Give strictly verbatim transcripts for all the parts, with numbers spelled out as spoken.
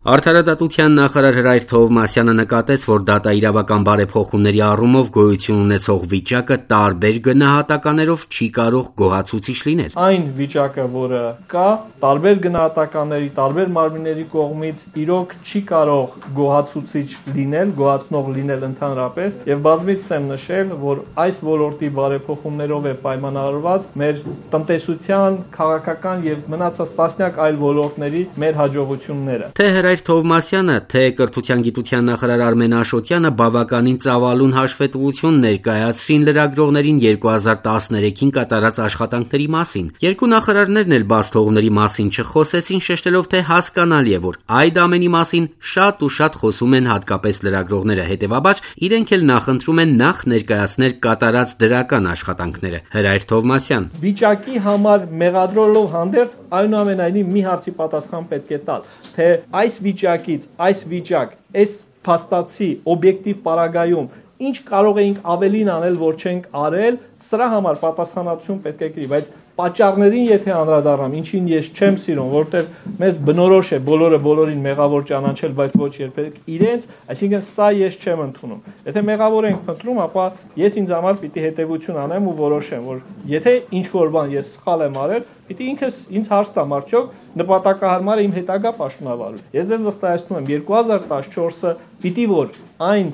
Արդարադատության նախարար Հրայր Թովմասյանը նկատեց, որ դատաիրավական բարեփոխումների առումով գոյություն ունեցող վիճակը տարբեր գնահատականներով չի կարող գոհացուցիչ լինել։ Այն վիճակը, որը կա, տարբեր գնահատականների, տարբեր մարմինների կողմից իրոք չի կարող գոհացուցիչ լինել, գոհացնող լինել ընդհանրապես, եւ բազմիցս եմ նշել, որ այս ոլորտի բարեփոխումներով է պայմանավորված մեր տնտեսության, քաղաքական եւ մնացած տասնյակ այլ ոլորտների մեր հաջողությունները։ Թե Հրայր Թովմասյանը, թե կրթության գիտության նախարար Արմեն Աշոտյանը բավականին ծավալուն հաշվետվություն ներկայացրին լրագրողներին երկու հազար տասներեքին կատարած աշխատանքների մասին։ Երկու նախարարներն էլ բացթողումների մասին չխոսեցին, շեշտելով, թե հասկանալի է, որ այդ ամենի մասին շատ ու շատ խոսում են հատկապես լրագրողները, հետևաբար իրենք էլ նախընտրում են նախ ներկայացնել կատարած դրական աշխատանքները։ Հրայր Թովմասյան. Վիճակի համար մեղադրելով հանդերձ, այնուամենայնիվ մի հարցի պատասխան պետք է տալ, թե այս վիճակից, այս վիճակ, այս փաստացի օբյեկտիվ պարագայում ինչ կարող էինք ավելին անել, որ չենք արել, սրա համար պատասխանատվություն պետք է կրի, բայց պատճառներին եթե անդրադառնամ, ինչին ես չեմ սիրում, որտեղ մեզ բնորոշ է բոլորը բոլորին մեղավոր ճանաչել, բայց ոչ երբեք իրենց, այսինքն սա ես չեմ ընդունում։ Եթե մեղավոր ենք փնտրում, ապա ես ինձ համար պիտի հետևություն անեմ ու որոշեմ, որ եթե ինչ որ բան ես սխալ եմ արել, պիտի ինքս ինձ հարց տամ, արդյոք նպատակահարմար է իմ հետագա պաշտոնավարությունը։ Ես ձեզ վստահեցնում եմ, երկու հազար տասնչորսը պիտի որ այն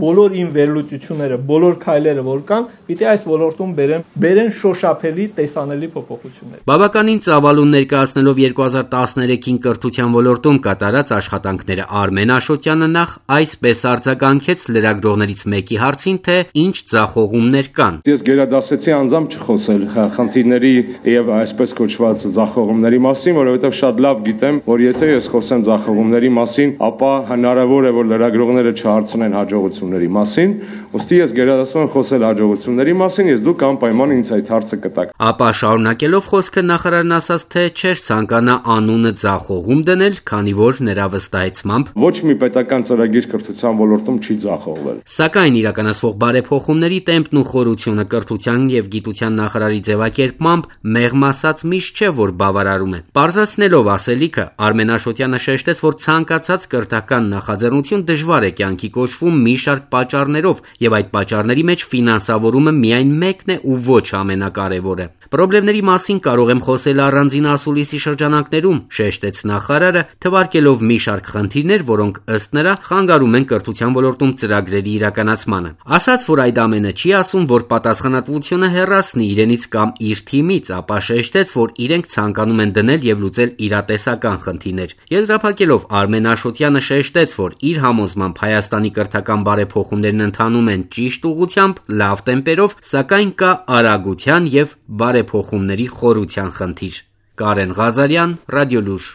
բոլոր իմ վերլուծությունները, բոլոր քայլերը որ կան, պիտի այս ոլորտում բերեն, բերեն շոշափելի տեսանելի փոփոխություններ։ Բավականին ծավալուն ներկայացնելով երկու հազար տասներեքին կրթության ոլորտում կատարած աշխատանքները Արմեն Աշոտյանը նախ այսպես արձագանքեց լրագրողներից մեկի հարցին, թե ինչ ձախողումներ կան։ Ես գերադասեցի անձամբ չխոսել խնդիրների եւ այսպես կոչված ձախողումների մասին, որովհետեւ շատ լավ գիտեմ, որ եթե ես խոսեմ ձախողումների մասին, ապա հնարավոր է, որ լրագրողները չհարցնեն հաջողությունների մասին, ուստի ես գերադասում եմ խոսել հաջողությունների մասին, ես դուք անպայման ինձ այդ հարցը կտաք։ Ապա շարունակելով խոսքը նախարարն ասաց, թե չէր ցանկանա անունը ձախողում դնել, քանի որ նրա վստահեցմամբ ոչ մի պետական ծրագիր կրթության ոլորտում չի ձախողվել։ Սակայն իրականացվող բարեփոխումների տեմպն ու խորությունը կրթության եւ գիտության նախարարի ձևակերպմամբ մեղմ ասած միշտ չէ, որ բավարարում է։ Պարզացնելով ասելիքը, Արմեն Աշոտյանը շեշտեց, որ ցանկացած կրթական նախաձեռնություն դժվար է կյանքի կոչվում մի շարք պատճառներով, եւ այդ պատճառների մեջ ֆինանսավորումը միայն մեկն է ու ոչ ամենակարևորը։ Պրոբլեմների մասին կարող եմ խոսել առանձին ասուլիսի շրջանակներում, շեշտեց նախարարը, թվարկելով մի շարք խնդիրներ, որոնք ըստ նրա խանգարում են կրթության ոլորտում ծրագրերի իրականացմանը։ Ասաց, որ այդ ամենը չի ասում, որ պատասխանատվությունը հեռացնի իրենից կամ իր թիմից, ապա շեշտեց, որ իրենք ցանկանում են դնել եւ լուծել իրատեսական խնդիրներ։ Եզրափակելով Արմեն Աշոտյանը շեշտեց, որ իր համոզմամբ Հայաստանի կրթական բարեփոխումներն ընթանում են ճիշտ ուղղությամբ, լավ տեմպերով, սակայն կա արագության եւ բարեփոխումների խորության խնդիր։ Կարեն Ղազարյան, Ռադիոլուր։